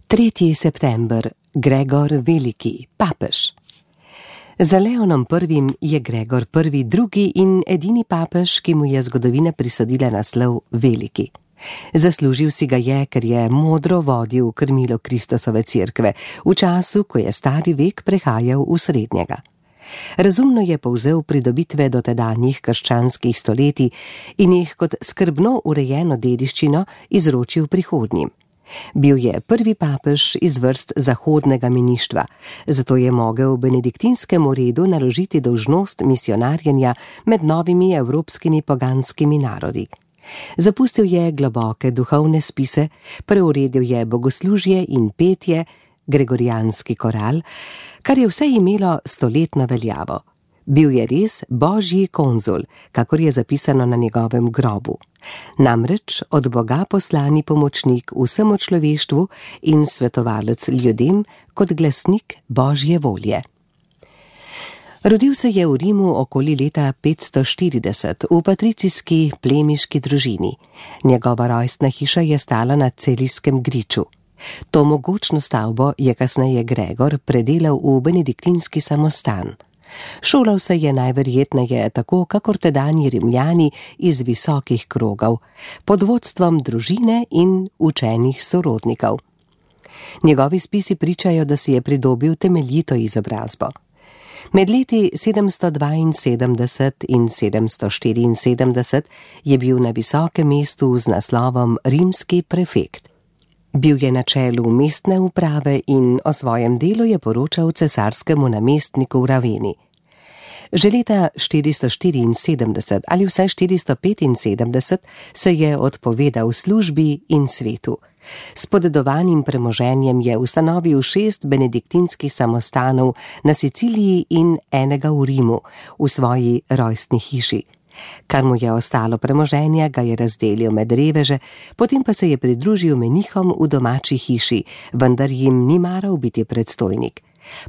3. september, Gregor Veliki, papež. Za Leonom I. je Gregor I. drugi in edini papež, ki mu je zgodovina prisodila naslov Veliki. Zaslužil si ga je, ker je modro vodil krmilo Kristusove cerkve, v času, ko je stari vek prehajal v srednjega. Razumno je povzel pridobitve dotedanjih krščanskih stoletij in jih kot skrbno urejeno dediščino izročil prihodnjim. Bil je prvi papež iz vrst zahodnega meništva, zato je mogel benediktinskemu redu naložiti dolžnost misionarjenja med novimi evropskimi poganskimi narodi. Zapustil je globoke duhovne spise, preuredil je bogoslužje in petje, gregorijanski koral, kar je vse imelo stoletno veljavo. Bil je res božji konzul, kakor je zapisano na njegovem grobu. Namreč od Boga poslani pomočnik vsemu človeštvu in svetovalec ljudem kot glasnik božje volje. Rodil se je v Rimu okoli leta 540 v patricijski plemiški družini. Njegova rojstna hiša je stala na Celijskem griču. To mogočno stavbo je kasneje Gregor predelal v benediktinski samostan. Šolal se je najverjetneje tako, kakor tedanji Rimljani iz visokih krogov, pod vodstvom družine in učenih sorodnikov. Njegovi spisi pričajo, da si je pridobil temeljito izobrazbo. Med leti 772 in 774 je bil na visokem mestu z naslovom rimski prefekt. Bil je na čelu mestne uprave in o svojem delu je poročal cesarskemu namestniku v Raveni. Že leta 474 ali vsaj 475 se je odpovedal službi in svetu. S podedovanim premoženjem je ustanovil 6 benediktinskih samostanov na Siciliji in enega v Rimu, v svoji rojstni hiši. Kar mu je ostalo premoženja, ga je razdelil med reveže, potem pa se je pridružil menihom v domači hiši, vendar jim ni maral biti predstojnik.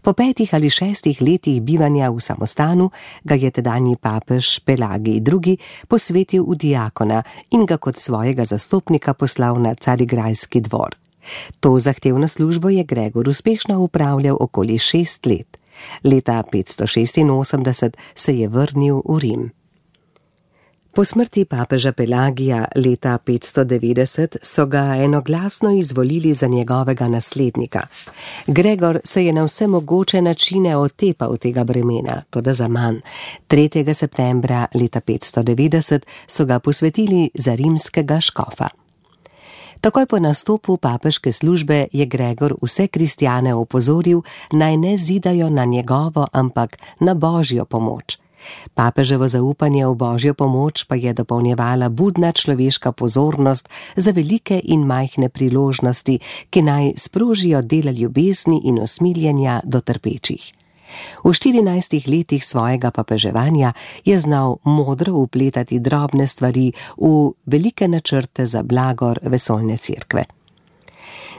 Po 5 ali 6 letih bivanja v samostanu ga je tedanji papež Pelagij II. Posvetil v diakona in ga kot svojega zastopnika poslal na Carigrajski dvor. To zahtevno službo je Gregor uspešno upravljal okoli 6 let. Leta 586 se je vrnil v Rim. Po smrti papeža Pelagija leta 590 so ga enoglasno izvolili za njegovega naslednika. Gregor se je na vse mogoče načine otepal tega bremena, toda zaman. 3. septembra leta 590 so ga posvetili za rimskega škofa. Takoj po nastopu papeške službe je Gregor vse kristjane opozoril, naj ne zidajo na njegovo, ampak na božjo pomoč. Papeževo zaupanje v božjo pomoč pa je dopolnjevala budna človeška pozornost za velike in majhne priložnosti, ki naj sprožijo dela ljubezni in usmiljenja do trpečih. V 14 letih svojega papeževanja je znal modro vpletati drobne stvari v velike načrte za blagor vesoljne cerkve.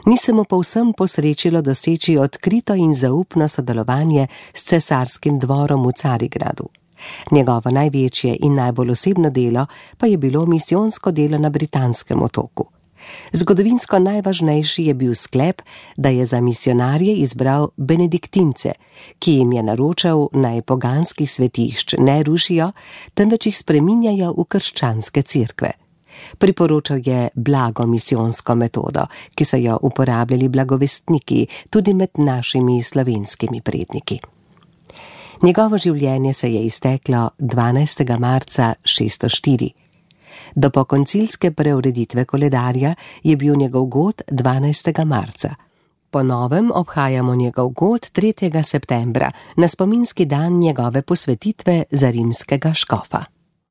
Ni se mu povsem posrečilo doseči odkrito in zaupno sodelovanje s cesarskim dvorom v Carigradu. Njegovo največje in najbolj osebno delo pa je bilo misijonsko delo na Britanskem otoku. Zgodovinsko najvažnejši je bil sklep, da je za misionarje izbral benediktince, ki jim je naročal, naj poganskih svetišč ne rušijo, temveč jih spreminjajo v krščanske cerkve. Priporočal je blago misijonsko metodo, ki so jo uporabljali blagovestniki tudi med našimi slovenskimi predniki. Njegovo življenje se je izteklo 12. marca 604. Do pokoncilske preureditve koledarja je bil njegov god 12. marca. Po novem obhajamo njegov god 3. septembra, na spominski dan njegove posvetitve za rimskega škofa.